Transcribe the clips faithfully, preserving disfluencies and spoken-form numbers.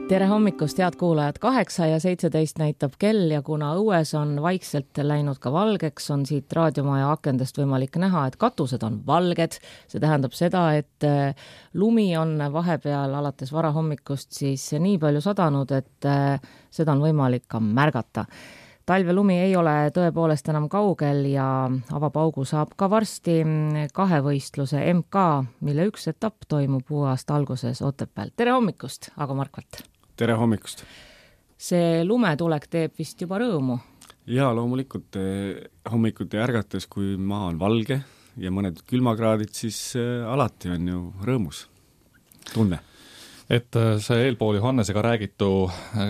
Tere hommikust, head kuulajad, kaheksa ja seitseteist näitab kell ja kuna õues on vaikselt läinud ka valgeks, on siit raadiomaja akendest võimalik näha, et katused on valged. See tähendab seda, et lumi on vahepeal alates varahommikust siis nii palju sadanud, et seda on võimalik ka märgata. Talvelumi ei ole tõepoolest enam kaugel ja avapaugu saab ka varsti kahevõistluse M K, mille üks etapp toimub uue aasta alguses Otepääl. Tere hommikust, Ago Markvalt! Tere hommikust! See lumetulek teeb vist juba rõõmu? Jaa, loomulikult hommikuti ärgates, kui maa on valge ja mõned külmakraadid, siis alati on ju rõõmus tunne. Et see eelpool Johannesega räägitu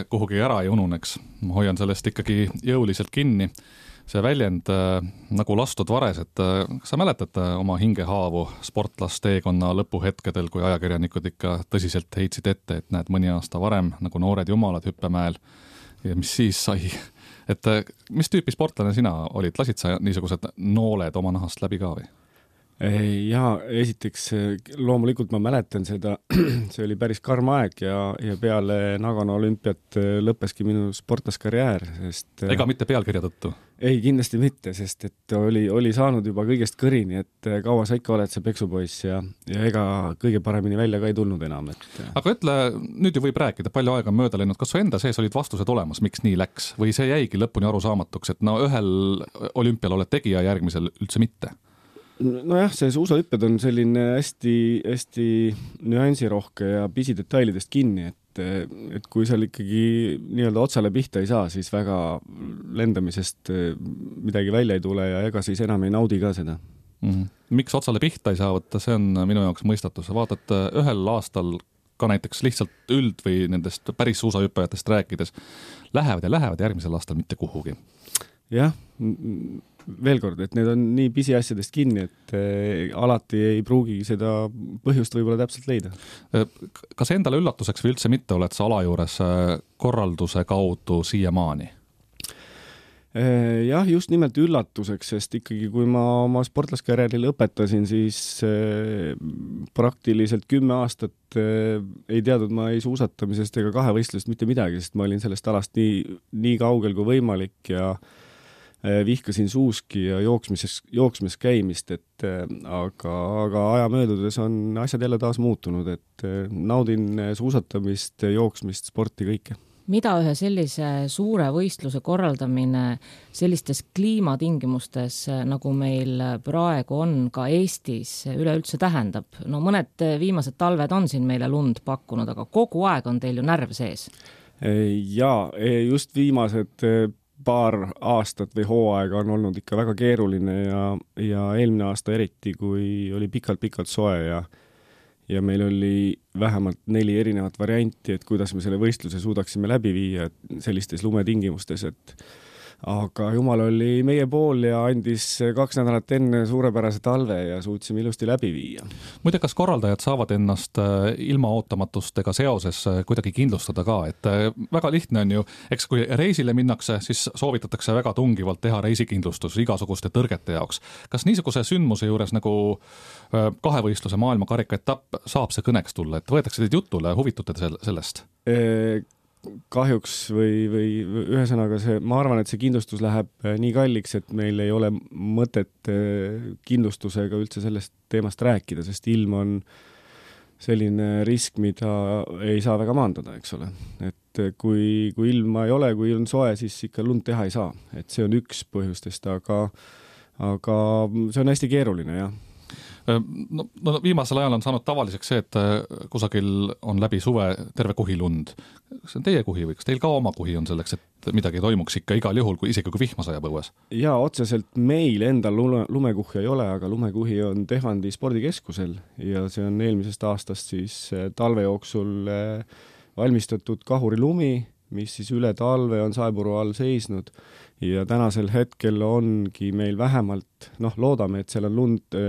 kuhugi ära ei ununeks. Ma hoian sellest ikkagi jõuliselt kinni. See väljend nagu lastud vares, et kas sa mäletad oma hingehaavu sportlasteekonna lõpuhetkedel, kui ajakirjanikud ikka tõsiselt heitsid ette, et näed mõni aasta varem nagu noored jumalad hüppemäel ja mis siis sai? Et mis tüüpi sportlane sina olid? Lasid sa niisugused nooled oma nahast läbi ka või? Jaa, esiteks loomulikult ma mäletan seda, see oli päris karm aeg ja, ja peale Nagano olümpiat lõppeski minu sportlaskarjäär, sest ega mitte pealkirja tõttu? Ei, kindlasti mitte, sest et oli, oli saanud juba kõigest kõrini, et kaua sa ikka oled see peksupoiss ja, ja ega kõige paremini välja ka ei tulnud enam. Et... Aga ütle, nüüd ju võib rääkida, palju aega on mööda läinud, kas su enda sees olid vastused olemas, miks nii läks? Või see jäigi lõpuni arusaamatuks, et no ühel olümpial oled tegija, järgmisel üldse mitte? Nojah, see suusahüpped on selline hästi, hästi nüansirohke ja pisidetailidest kinni, et, et kui seal ikkagi nii-öelda otsale pihta ei saa, siis väga lendamisest midagi välja ei tule ja ega siis enam ei naudi ka seda. Mm-hmm. Miks otsale pihta ei saa võtta, see on minu jaoks mõistatus. Vaatad ühel aastal ka näiteks lihtsalt üld või nendest päris suusahüppajatest rääkides, lähevad ja lähevad järgmisel aastal mitte kuhugi. Jah, veel kord, et need on nii pisiasjadest kinni, et alati ei pruugi seda põhjust võib-olla täpselt leida. Kas endale üllatuseks või üldse mitte oled sa ala juures korralduse kaudu siiamaani? Jah, just nimelt üllatuseks, sest ikkagi kui ma oma sportlaskarjääri lõpetasin, siis praktiliselt kümme aastat ei teadnud ma ei suusatamisest ega kahevõistlust mitte midagi, sest ma olin sellest alast nii, nii kaugel kui võimalik ja vihkasin suuski ja jooksmises, jooksmis käimist, et aga, aga aja möödudes on asjad jälle taas muutunud, et naudin suusatamist, jooksmist, sporti, kõike. Mida ühe sellise suure võistluse korraldamine sellistes kliimatingimustes, nagu meil praegu on ka Eestis, üleüldse tähendab? No mõned viimased talved on siin meile lund pakkunud, aga kogu aeg on teil ju närv sees. Jaa, just viimased paar aastat või hooaega on olnud ikka väga keeruline ja, ja eelmine aasta eriti, kui oli pikalt-pikalt soe ja, ja meil oli vähemalt neli erinevat varianti, et kuidas me selle võistluse suudaksime läbi viia sellistes lumetingimustes, et aga jumal oli meie pool ja andis kaks nädalat enne suurepärase talve ja suutsime ilusti läbi viia. Muide, kas korraldajad saavad ennast ilma ootamatustega seoses kuidagi kindlustada ka, et väga lihtne on ju, eks kui reisile minnakse, siis soovitatakse väga tungivalt teha reisikindlustus igasuguste tõrgete jaoks. Kas niisuguse sündmuse juures nagu kahevõistluse maailma karika etapp saab see kõneks tulla, et võetakse teid jutule, huvitute sellest? E kahjuks või, või ühesõnaga see, ma arvan, et see kindlustus läheb nii kalliks, et meil ei ole mõtet kindlustusega üldse sellest teemast rääkida, sest ilm on selline risk, mida ei saa väga maandada, eks ole. Et kui, kui ilma ei ole, kui on soe, siis ikka lund teha ei saa. Et see on üks põhjustest, aga, aga see on hästi keeruline, jah. No, no viimasel ajal on saanud tavaliseks see, et kusagil on läbi suve terve kuhi lund. Kas see on teie kuhi või kas teil ka oma kuhi on selleks, et midagi toimuks ikka igal juhul, kui isegi kui vihma sajab õues? Jaa, otseselt meil endal lume, lumekuhja ei ole, aga lumekuhi on Tehvandi spordikeskusel ja see on eelmisest aastast siis talve jooksul valmistatud kahurilumi, mis siis üle talve on saepuru all seisnud ja tänasel hetkel ongi meil vähemalt, noh, loodame, et seal on lund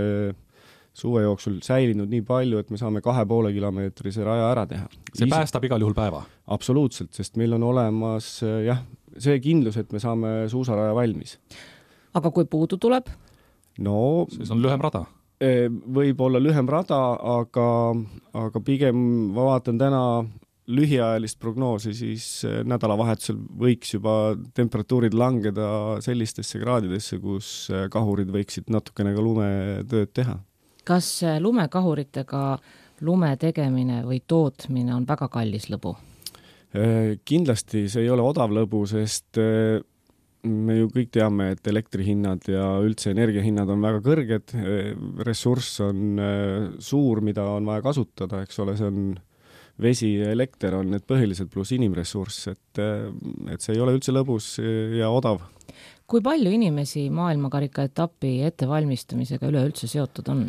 suve jooksul säilinud nii palju, et me saame kahe poole kilomeetrise raja ära teha. See päästab igal juhul päeva? Absoluutselt, sest meil on olemas jah, see kindlus, et me saame suusaraja valmis. Aga kui puudu tuleb? No, siis on lühem rada. Võib olla lühem rada, aga, aga pigem ma vaatan täna lühiajalist prognoosi, siis nädalavahetusel võiks juba temperatuurid langeda sellistesse kraadidesse, kus kahurid võiksid natukene ka lumetööd teha. Kas lumekahuritega lume tegemine või tootmine on väga kallis lõbu? Kindlasti see ei ole odav lõbu, sest me ju kõik teame, et elektrihinnad ja üldse energiahinnad on väga kõrged, ressurss on suur, mida on vaja kasutada, eks ole, see on vesi ja elekter on need põhilised pluss inimressurss, et, et see ei ole üldse lõbus ja odav. Kui palju inimesi maailmakarika etapi ettevalmistamisega üleüldse seotud on?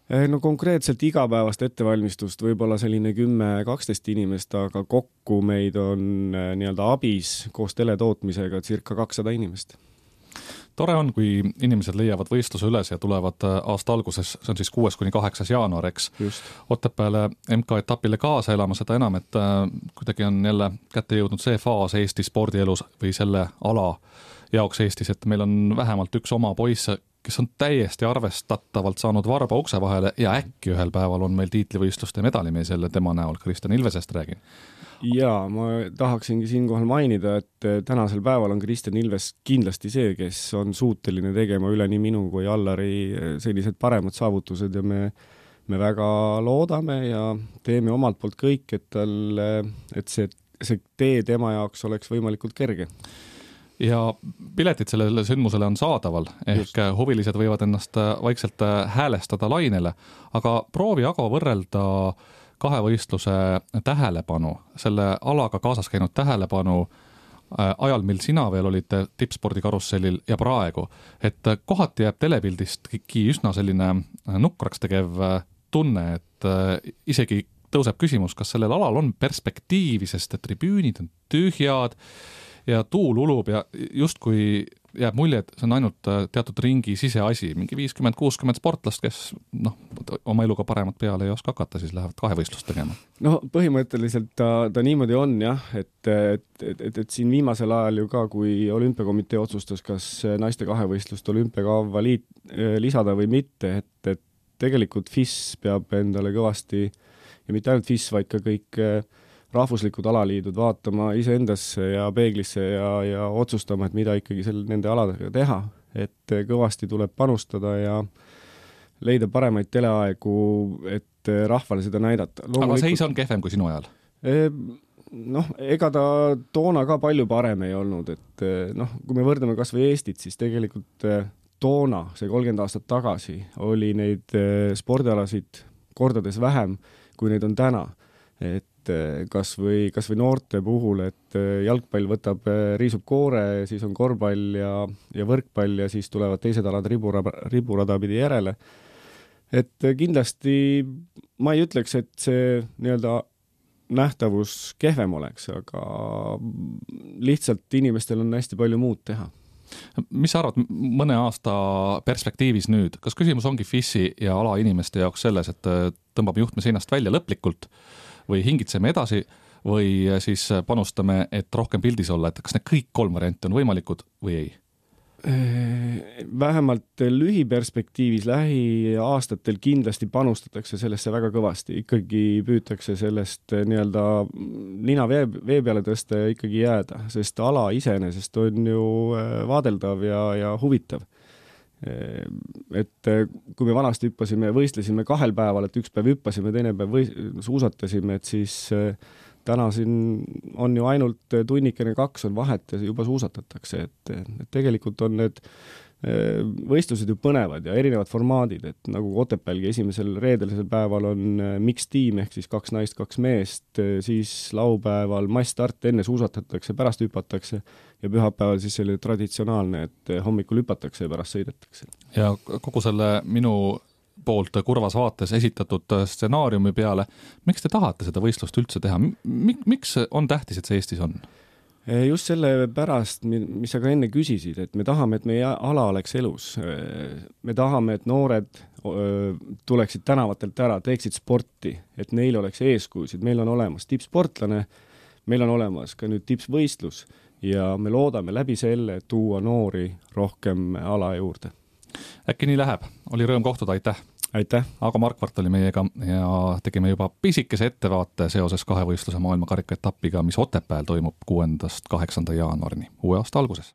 No konkreetselt igapäevast ettevalmistust võib-olla selline kümme kaksteist inimest, aga kokku meid on nii-öelda abis koos teletootmisega circa kakssada inimest. Tore on, kui inimesed leiavad võistluse üles ja tulevad aasta alguses, see on siis kuues kuni kaheksas jaanuar, eks, Otepääle M K etapile kaasa elama, seda enam, et kuidagi on jälle kätte jõudnud see faas Eesti spordielus või selle ala jaoks Eestis, et meil on vähemalt üks oma poiss, kes on täiesti arvestatavalt saanud varba ukse vahele ja äkki ühel päeval on meil tiitlivõistluste medalimees jälle tema näol, Kristjan Ilvesest räägin. Jaa, ma tahaksingi siinkohal mainida, et tänasel päeval on Kristjan Ilves kindlasti see, kes on suuteline tegema üle nii minu kui Allari sellised paremad saavutused ja me, me väga loodame ja teeme omalt poolt kõik, et, tal, et see, see tee tema jaoks oleks võimalikult kerge. Ja piletid sellele sündmusele on saadaval, ehk Just. huvilised võivad ennast vaikselt häälestada lainele, aga proovi aga võrrelda kahevõistluse tähelepanu, selle alaga kaasas käinud tähelepanu ajal, mil sina veel olid tippspordikarussellil ja praegu, et kohati jääb telepildistki üsna selline nukraks tegev tunne, et isegi tõuseb küsimus, kas sellel alal on perspektiivi, sest tribüünid on tühjad ja tuul ulub ja justkui jääb mulje, et see on ainult teatud ringi siseasi, mingi viiskümmend kuuskümmend sportlast, kes noh, oma eluga paremat peale ei oska hakata, siis lähevad kahevõistlust tegema. No põhimõtteliselt ta, ta niimoodi on jah, et, et, et, et, et siin viimasel ajal ju ka, kui olümpiakomitee otsustas, kas naiste kahevõistlust olümpiakava liit, lisada või mitte, et, et tegelikult F I S peab endale kõvasti ja mitte ainult F I S, vaid ka kõik rahvuslikud alaliidud vaatama iseendasse ja peeglisse ja, ja otsustama, et mida ikkagi selle, nende aladega teha, et kõvasti tuleb panustada ja leida paremaid teleaegu, et rahvale seda näidata. Aga seis on kehvem kui sinu ajal? Noh, ega ta toona ka palju parem ei olnud, et noh, kui me võrdame kas või Eestit, siis tegelikult toona, see kolmkümmend aastat tagasi, oli neid spordialasid kordades vähem, kui neid on täna. Et kas või, kas või noorte puhul, et jalgpall võtab, riisub koore, siis on korvpall ja, ja võrkpall ja siis tulevad teised alad riburada, riburada pidi järele. Et kindlasti ma ei ütleks, et see nii-öelda nähtavus kehvem oleks, aga lihtsalt inimestel on hästi palju muud teha. Mis sa arvad mõne aasta perspektiivis nüüd? Kas küsimus ongi F I S-i ja ala inimeste jaoks selles, et tõmbame juhtme seinast välja lõplikult või hingitseme edasi või siis panustame, et rohkem pildis olla, et kas need kõik kolm varianti on võimalikud või ei? Vähemalt lühiperspektiivis lähiaastatel kindlasti panustatakse sellesse väga kõvasti. Ikkagi püütakse sellest nii-öelda nina vee, vee peale tõsta ja ikkagi jääda, sest ala iseenesest on ju vaadeldav ja, ja huvitav. Et kui me vanasti hüppasime, võistlesime kahel päeval, et üks päev hüppasime, teine päev võis, suusatasime, et siis täna siin on ju ainult tunnikene kaks on vahet ja juba suusatatakse, et, et tegelikult on need võistlused ju põnevad ja erinevad formaadid, et nagu Otepälgi esimesel reedelisel päeval on mix tiim ehk siis kaks naist, kaks meest, siis laupäeval massstart, enne suusatatakse, pärast hüpatakse ja pühapäeval siis selline traditsionaalne, et hommikul hüpatakse ja pärast sõidetakse. Ja kogu selle minu poolt kurvas vaates esitatud stsenaariumi peale, miks te tahate seda võistlust üldse teha? Miks on tähtis, et see Eestis on? Just selle pärast, mis sa ka enne küsisid, et me tahame, et meie ala oleks elus. Me tahame, et noored tuleksid tänavatelt ära, teeksid sporti, et neil oleks eeskujusid. Meil on olemas tippsportlane, meil on olemas ka nüüd tippvõistlus ja me loodame läbi selle tuua noori rohkem ala juurde. Äkki nii läheb. Oli rõõm kohtuda, aitäh! aitäh! Ago Markvart oli meiega ja tegime juba pisikese ettevaate seoses kahevõistluse maailmakarika etapiga, mis Otepääl toimub kuuendast kaheksanda jaanuarini uue aasta alguses.